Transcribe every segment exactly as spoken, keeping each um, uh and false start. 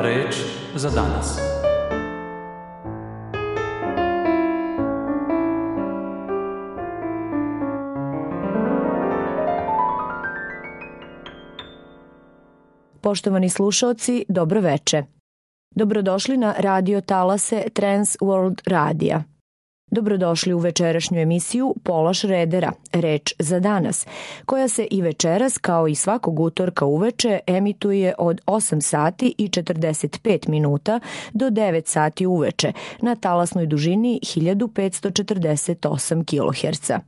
Reč za danas. Poštovani slušaoci, dobro veče. Dobrodošli na radio talase Trans World Radija. Dobrodošli u večerašnju emisiju Pola Šredera, Reč za danas, koja se i večeras kao i svakog utorka uveče emituje od osam sati i četrdeset pet minuta do devet sati uveče na talasnoj dužini hiljadu petsto četrdeset osam kiloherca.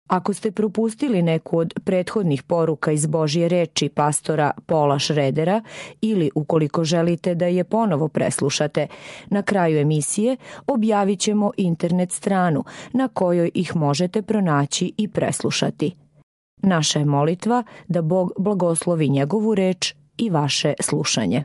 Ako ste propustili neku od prethodnih poruka iz Božje reči pastora Pola Šredera ili ukoliko želite da je ponovo preslušate, na kraju emisije objavit ćemo internet stranu na kojoj ih možete pronaći i preslušati. Naša je molitva da Bog blagoslovi njegovu reč i vaše slušanje.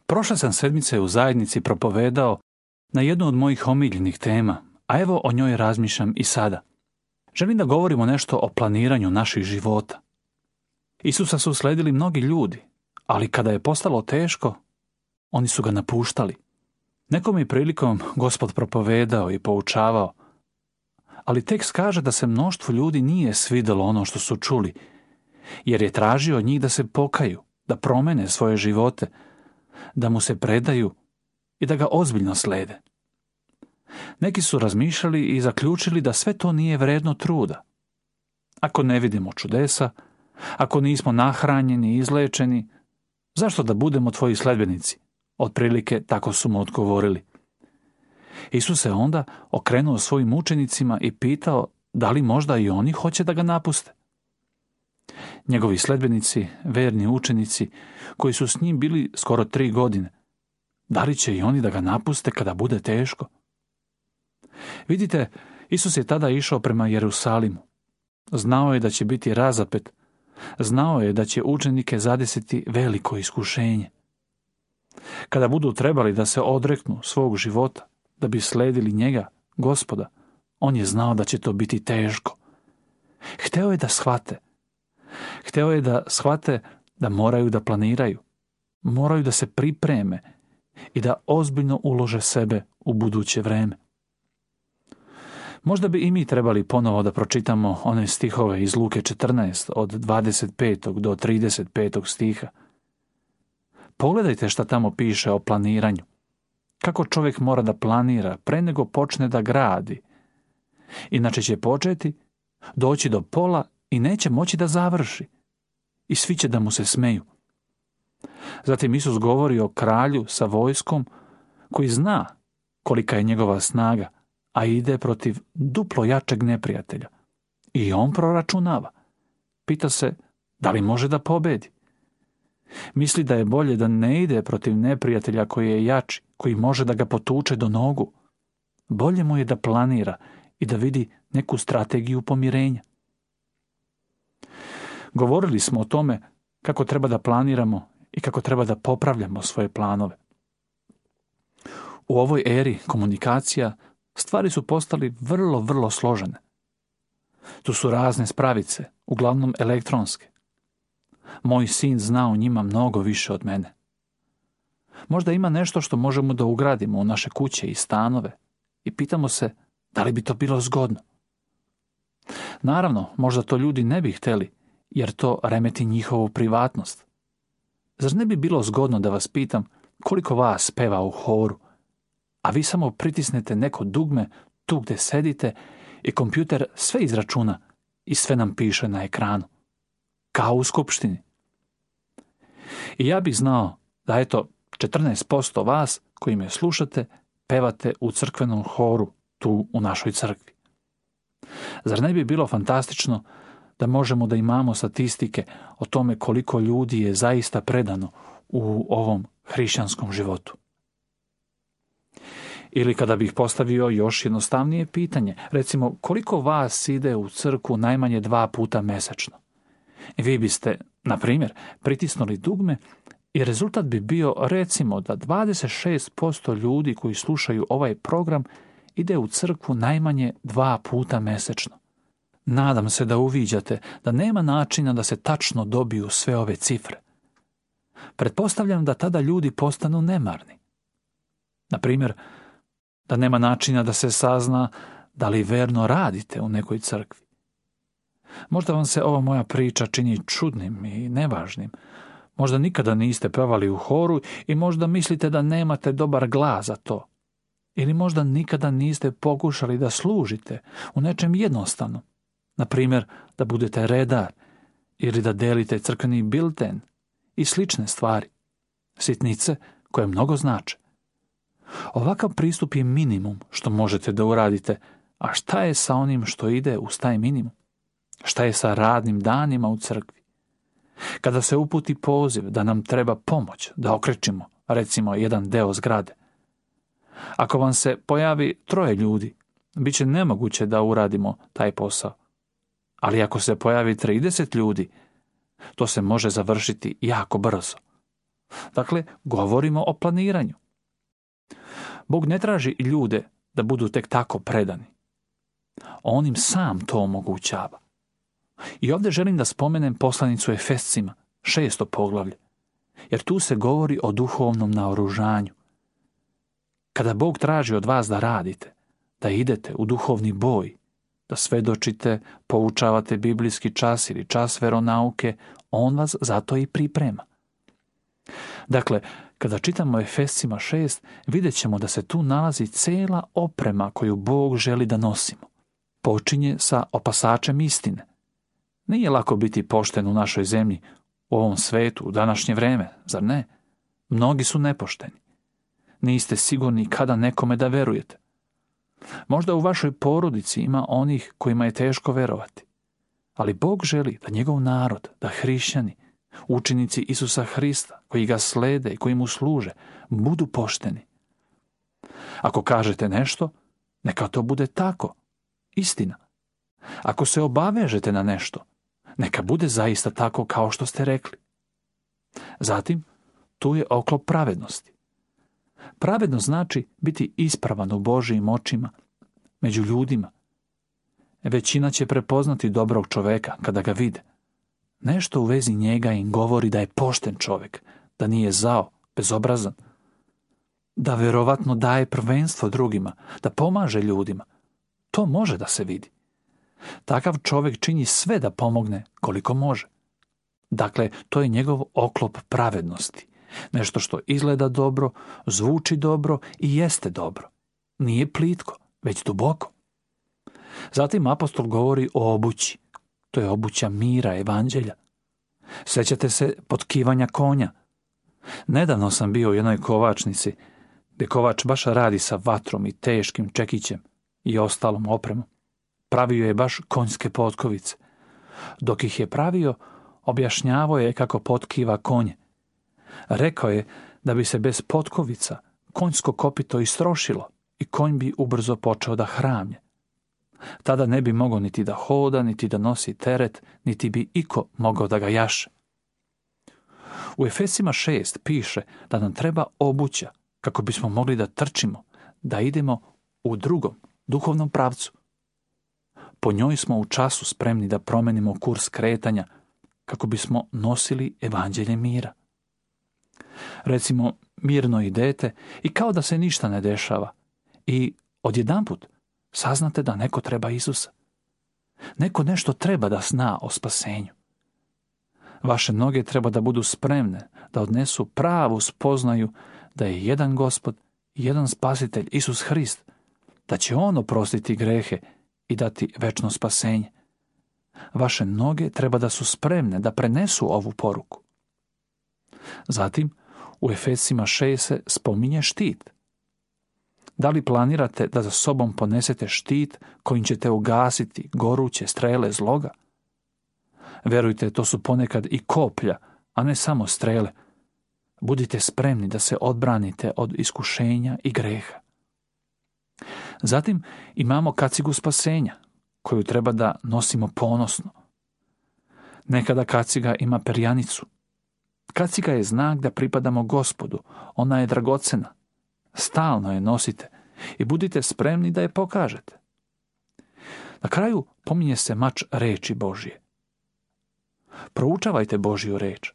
Prošle sam sedmice u zajednici propovedao na jednu od mojih omiljenih tema, a evo o njoj razmišljam i sada. Želim da govorimo nešto o planiranju naših života. Isusa su sledili mnogi ljudi, ali kada je postalo teško, oni su ga napuštali. Nekom je prilikom Gospod propovedao i poučavao, ali tekst kaže da se mnoštvu ljudi nije svidelo ono što su čuli, jer je tražio od njih da se pokaju, da promene svoje živote, da mu se predaju i da ga ozbiljno slede. Neki su razmišljali i zaključili da sve to nije vredno truda. Ako ne vidimo čudesa, ako nismo nahranjeni i izlečeni, zašto da budemo tvoji sledbenici? Otprilike tako su mu odgovorili. Isus se onda okrenuo svojim učenicima i pitao da li možda i oni hoće da ga napuste. Njegovi sledbenici, verni učenici, koji su s njim bili skoro tri godine, da li će i oni da ga napuste kada bude teško? Vidite, Isus je tada išao prema Jerusalimu. Znao je da će biti razapet. Znao je da će učenike zadesiti veliko iskušenje. Kada budu trebali da se odreknu svog života, da bi sledili njega, Gospoda, on je znao da će to biti teško. Hteo je da shvate. Hteo je da shvate da moraju da planiraju, moraju da se pripreme i da ozbiljno ulože sebe u buduće vreme. Možda bi i mi trebali ponovo da pročitamo one stihove iz Luke četrnaest od dvadeset petog do trideset petog stiha. Pogledajte šta tamo piše o planiranju. Kako čovjek mora da planira pre nego počne da gradi. Inače će početi, doći do pola i neće moći da završi. I svi će da mu se smeju. Zatim Isus govori o kralju sa vojskom koji zna kolika je njegova snaga, a ide protiv duplo jačeg neprijatelja. I on proračunava. Pita se da li može da pobedi. Misli da je bolje da ne ide protiv neprijatelja koji je jači, koji može da ga potuče do nogu. Bolje mu je da planira i da vidi neku strategiju pomirenja. Govorili smo o tome kako treba da planiramo i kako treba da popravljamo svoje planove. U ovoj eri komunikacija stvari su postali vrlo, vrlo složene. Tu su razne spravice, uglavnom elektronske. Moj sin zna o njima mnogo više od mene. Možda ima nešto što možemo da ugradimo u naše kuće i stanove i pitamo se da li bi to bilo zgodno. Naravno, možda to ljudi ne bi hteli, jer to remeti njihovu privatnost. Zar ne bi bilo zgodno da vas pitam koliko vas peva u horu, a vi samo pritisnete neko dugme tu gde sedite i kompjuter sve izračuna i sve nam piše na ekranu, kao u skupštini. I ja bih znao da eto četrnaest posto vas koji me slušate pevate u crkvenom horu tu u našoj crkvi. Zar ne bi bilo fantastično da možemo da imamo statistike o tome koliko ljudi je zaista predano u ovom hrišćanskom životu? Ili kada bih postavio još jednostavnije pitanje, recimo koliko vas ide u crkvu najmanje dva puta mesečno? Vi biste Na primjer, pritisnuli dugme i rezultat bi bio recimo da dvadeset šest posto ljudi koji slušaju ovaj program ide u crkvu najmanje dva puta mesečno. Nadam se da uviđate da nema načina da se tačno dobiju sve ove cifre. Pretpostavljam da tada ljudi postanu nemarni. Na primjer, da nema načina da se sazna da li verno radite u nekoj crkvi. Možda vam se ova moja priča čini čudnim i nevažnim. Možda nikada niste pevali u horu i možda mislite da nemate dobar glas za to. Ili možda nikada niste pokušali da služite u nečem jednostavnom. Na primjer, da budete redar ili da delite crkveni bilten i slične stvari. Sitnice koje mnogo znače. Ovakav pristup je minimum što možete da uradite, a šta je sa onim što ide uz taj minimum? Šta je sa radnim danima u crkvi? Kada se uputi poziv da nam treba pomoć, da okrečimo, recimo, jedan deo zgrade. Ako vam se pojavi troje ljudi, bit će nemoguće da uradimo taj posao. Ali ako se pojavi trideset ljudi, to se može završiti jako brzo. Dakle, govorimo o planiranju. Bog ne traži ljude da budu tek tako predani. On im sam to omogućava. I ovdje želim da spomenem poslanicu Efescima, šesto poglavlje, jer tu se govori o duhovnom naoružanju. Kada Bog traži od vas da radite, da idete u duhovni boj, da svedočite, poučavate biblijski čas ili čas veronauke, on vas zato i priprema. Dakle, kada čitamo Efescima šest, vidjet ćemo da se tu nalazi cela oprema koju Bog želi da nosimo. Počinje sa opasačem istine. Nije lako biti pošten u našoj zemlji, u ovom svetu, u današnje vreme, zar ne? Mnogi su nepošteni. Niste sigurni kada nekome da verujete. Možda u vašoj porodici ima onih kojima je teško verovati. Ali Bog želi da njegov narod, da hrišćani, učenici Isusa Hrista, koji ga slede i koji mu služe, budu pošteni. Ako kažete nešto, neka to bude tako, istina. Ako se obavežete na nešto, neka bude zaista tako kao što ste rekli. Zatim, tu je oklop pravednosti. Pravednost znači biti ispravan u Božijim očima, među ljudima. Većina će prepoznati dobrog čoveka kada ga vide. Nešto u vezi njega im govori da je pošten čovjek, da nije zao, bezobrazan, da verovatno daje prvenstvo drugima, da pomaže ljudima. To može da se vidi. Takav čovjek čini sve da pomogne koliko može. Dakle, to je njegov oklop pravednosti. Nešto što izgleda dobro, zvuči dobro i jeste dobro. Nije plitko, već duboko. Zatim apostol govori o obući. To je obuća mira, evanđelja. Sjećate se potkivanja konja. Nedavno sam bio u jednoj kovačnici, gdje kovač baš radi sa vatrom i teškim čekićem i ostalom opremom. Pravio je baš konjske potkovice. Dok ih je pravio, objašnjavao je kako potkiva konje. Rekao je da bi se bez potkovica konjsko kopito istrošilo i konj bi ubrzo počeo da hramlje. Tada ne bi mogao niti da hoda, niti da nosi teret, niti bi iko mogao da ga jaše. U Efesima šest piše da nam treba obuća kako bismo mogli da trčimo, da idemo u drugom, duhovnom pravcu. Po njoj smo u času spremni da promenimo kurs kretanja kako bismo nosili evanđelje mira. Recimo, mirno idete i kao da se ništa ne dešava i odjedanput saznate da neko treba Isusa. Neko nešto treba da zna o spasenju. Vaše noge treba da budu spremne, da odnesu pravu spoznaju da je jedan Gospod, jedan Spasitelj, Isus Hrist, da će On oprostiti grehe i dati večno spasenje. Vaše noge treba da su spremne da prenesu ovu poruku. Zatim, u Efesima šest se spominje štit. Da li planirate da za sobom ponesete štit kojim ćete ugasiti goruće strele zloga? Verujte, to su ponekad i koplja, a ne samo strele. Budite spremni da se odbranite od iskušenja i greha. Zatim imamo kacigu spasenja, koju treba da nosimo ponosno. Nekada kaciga ima perjanicu. Kaciga je znak da pripadamo Gospodu. Ona je dragocena. Stalno je nosite i budite spremni da je pokažete. Na kraju pominje se mač reči Božje. Proučavajte Božju reč.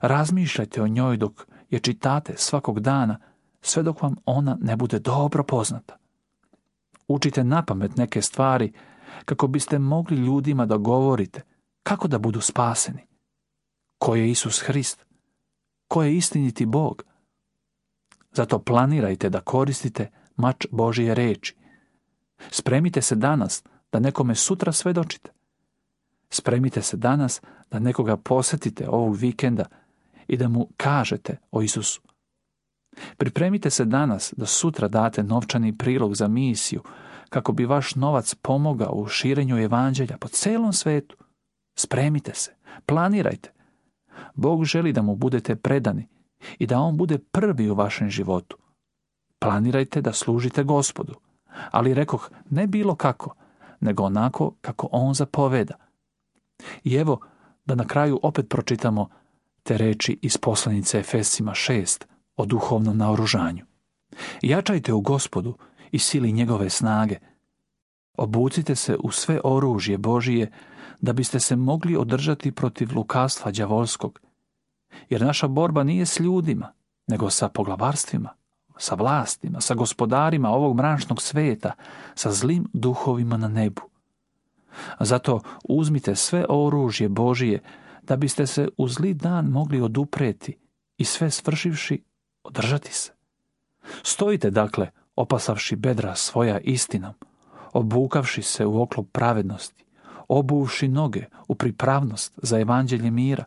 Razmišljajte o njoj dok je čitate svakog dana, sve dok vam ona ne bude dobro poznata. Učite napamet neke stvari kako biste mogli ljudima da govorite kako da budu spaseni. Ko je Isus Hrist? Ko je istiniti Bog? Zato planirajte da koristite mač Božje reči. Spremite se danas da nekome sutra svedočite. Spremite se danas da nekoga posjetite ovog vikenda i da mu kažete o Isusu. Pripremite se danas da sutra date novčani prilog za misiju kako bi vaš novac pomogao u širenju evanđelja po celom svetu. Spremite se, planirajte. Bog želi da mu budete predani i da on bude prvi u vašem životu. Planirajte da služite Gospodu, ali rekoh ne bilo kako, nego onako kako on zapoveda. I evo da na kraju opet pročitamo te reči iz poslanice Efescima šest o duhovnom naoružanju. Jačajte u Gospodu i sili njegove snage. Obucite se u sve oružje Božije da biste se mogli održati protiv lukavstva đavolskog. Jer naša borba nije s ljudima, nego sa poglavarstvima, sa vlastima, sa gospodarima ovog mračnog sveta, sa zlim duhovima na nebu. Zato uzmite sve oružje Božije da biste se u zli dan mogli odupreti i sve svršivši održati se. Stojite dakle, opasavši bedra svoja istinom, obukavši se u oklop pravednosti, obuvši noge u pripravnost za evanđelje mira.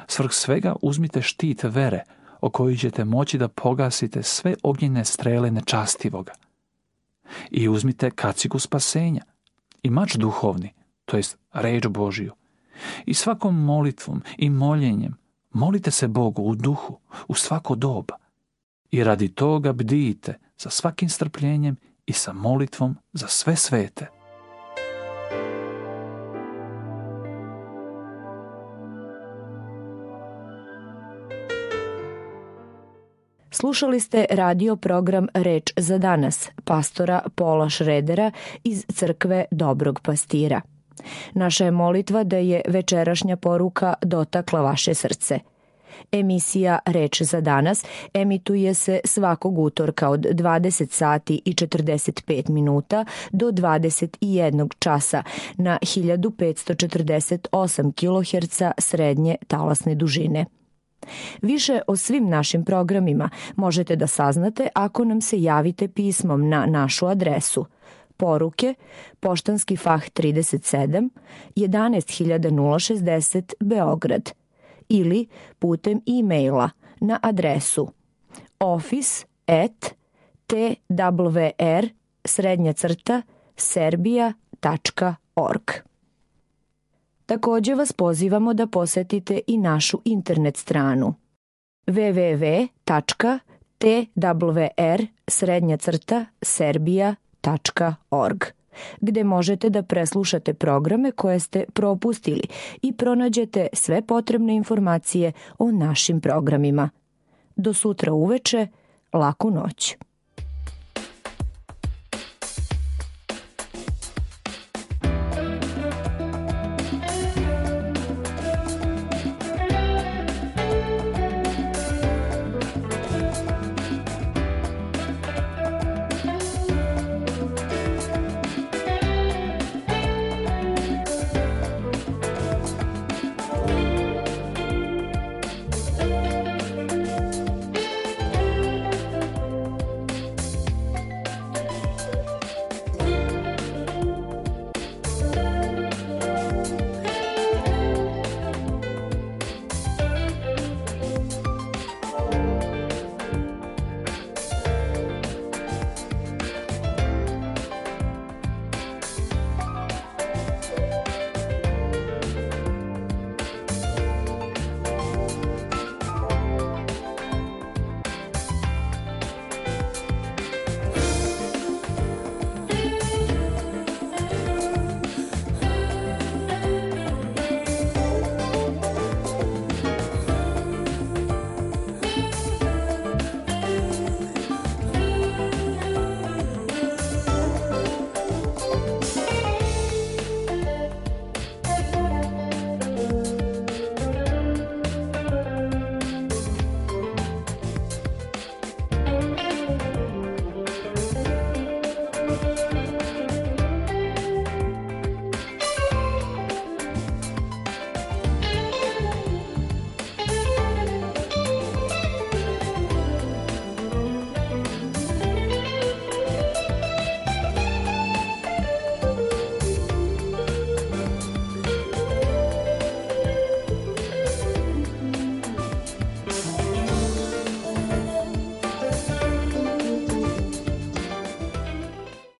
Svrh svega uzmite štit vere, o koji ćete moći da pogasite sve ognjene strele nečastivoga. I uzmite kacigu spasenja i mač duhovni, to jest reč Božiju. I svakom molitvom i moljenjem molite se Bogu u duhu, u svako doba. I radi toga bdijte sa svakim strpljenjem i sa molitvom za sve svete. Slušali ste radio program Reč za danas, pastora Paula Schroedera iz crkve Dobrog pastira. Naša je molitva da je večerašnja poruka dotakla vaše srce. Emisija Reč za danas emituje se svakog utorka od dvadeset sati i četrdeset pet minuta do dvadeset jedan časa na hiljadu petsto četrdeset osam kiloherca srednje talasne dužine. Više o svim našim programima možete da saznate ako nam se javite pismom na našu adresu poruke Poštanski fah trideset sedam, jedanaest hiljada šezdeset Beograd ili putem e-maila na adresu office at t w r srednja crta serbia tačka org. Također vas pozivamo da posetite i našu internet stranu w w w tačka t w r srednja crta serbia tačka org, gde možete da preslušate programe koje ste propustili i pronađete sve potrebne informacije o našim programima. Do sutra uveče, laku noć.